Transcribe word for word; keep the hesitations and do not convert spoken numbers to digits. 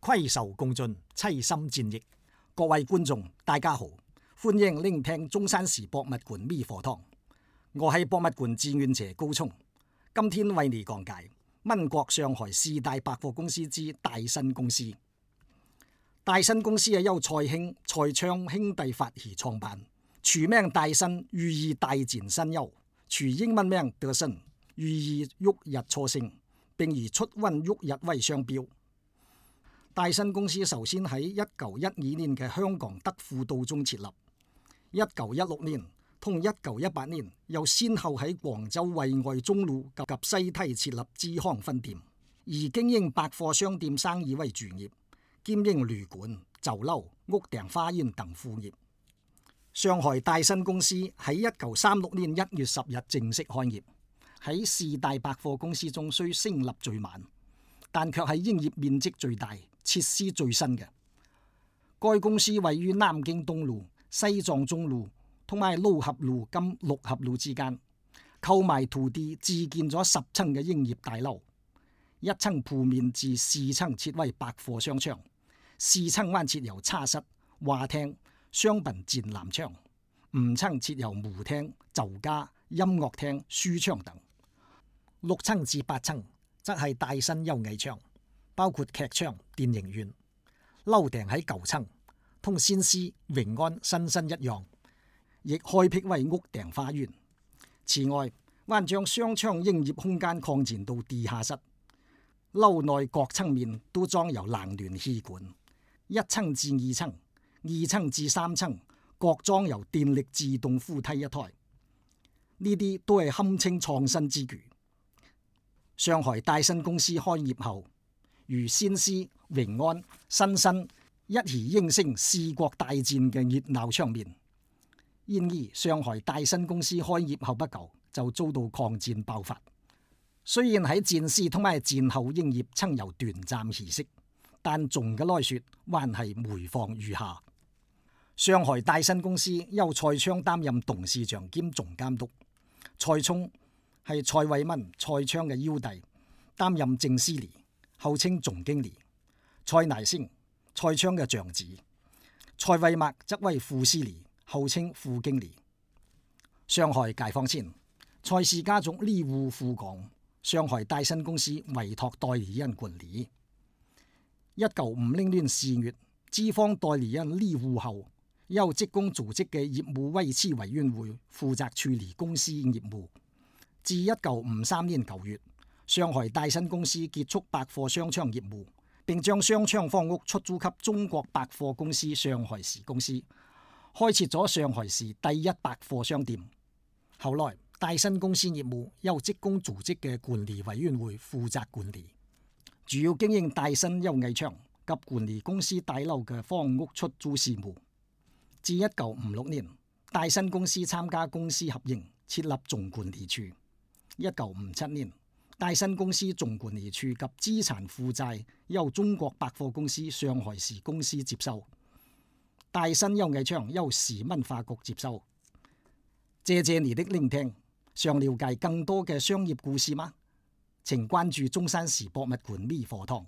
攜手共進，齊心戰役。各位觀眾，大家好，歡迎聆聽中山市博物館微課堂。我係博物館志願者高聰，今天為你講解民國上海四大百貨公司之大新公司。大新公司係由蔡興、蔡昌兄弟發起創辦，全名大新，寓意大展新猷，取英文名德新，寓意旭日初升，並以出雲旭日為商標。大新公司首先喺一九一二年嘅香港德輔道中設立，一九一六年同一九一八年又先後喺廣州惠愛中路及西堤設立支行分店，以經營百貨商店生意為主業，兼營旅館、酒樓、屋頂花園等副業。上海大新公司喺一九三六年一月十日正式開業，喺四大百貨公司中雖成立最晚，但卻係營業面積最大、設施最新嘅。該公司位於南京東路、西藏中路同埋魯合路兼六合路之間，購買土地自建咗十層嘅營業大樓，一層鋪面至四層設為百貨商場，四層還設有茶室、花廳、商品展覽場，五層設有舞廳、酒家、音樂廳、書場等，六層至八層則係大新優藝場，包括劇場、電影院。樓頂喺九層，同先施、永安、新新一樣，亦開闢為屋頂花園。此外，還將商場營業空間擴展到地下室，樓內各層面都裝有冷暖氣管，一層至二層、二層至三層各裝有電力自動扶梯一台。呢啲都係堪稱創新之舉。上海大新公司開業後，如先施、永安、新新一起形成四國大戰嘅熱鬧場面。然而，上海大新公司開業後不久就遭到抗戰爆發。雖然喺戰時同埋戰後營業曾有短暫起色，但總嘅來說還係每況愈下。上海大新公司由蔡昌擔任董事長兼總監督，蔡聰係蔡偉文、蔡昌嘅幺弟，擔任正司理，後稱總經理。蔡乃聲，蔡昌嘅長子，蔡偉墨則為副司理，後稱副經理。上海解放前，蔡氏家族吏戶赴港，上海大新公司委託代理人管理。一九五零年四月，資方代理人吏戶後，由職工組織嘅業務維持委員會負責處理公司業務。至一九五三年九月，上海大新公司結束百貨商場業務，並將商場房屋出租給中國百貨公司上海市公司，開設咗上海市第一百貨商店。後來，大新公司業務由職工組織嘅管理委員會負責管理，主要經營大新優藝場及管理公司大樓嘅房屋出租事務。至一九五六年，大新公司參加公私合營，設立總管理處。一九五七年，大新公司總管理處及資產負債由中國百貨公司上海市公司接收，大新優藝場由市文化局接收。謝謝你的聆聽，想了解更多嘅商業故事嗎？請關注中山市博物館微課堂。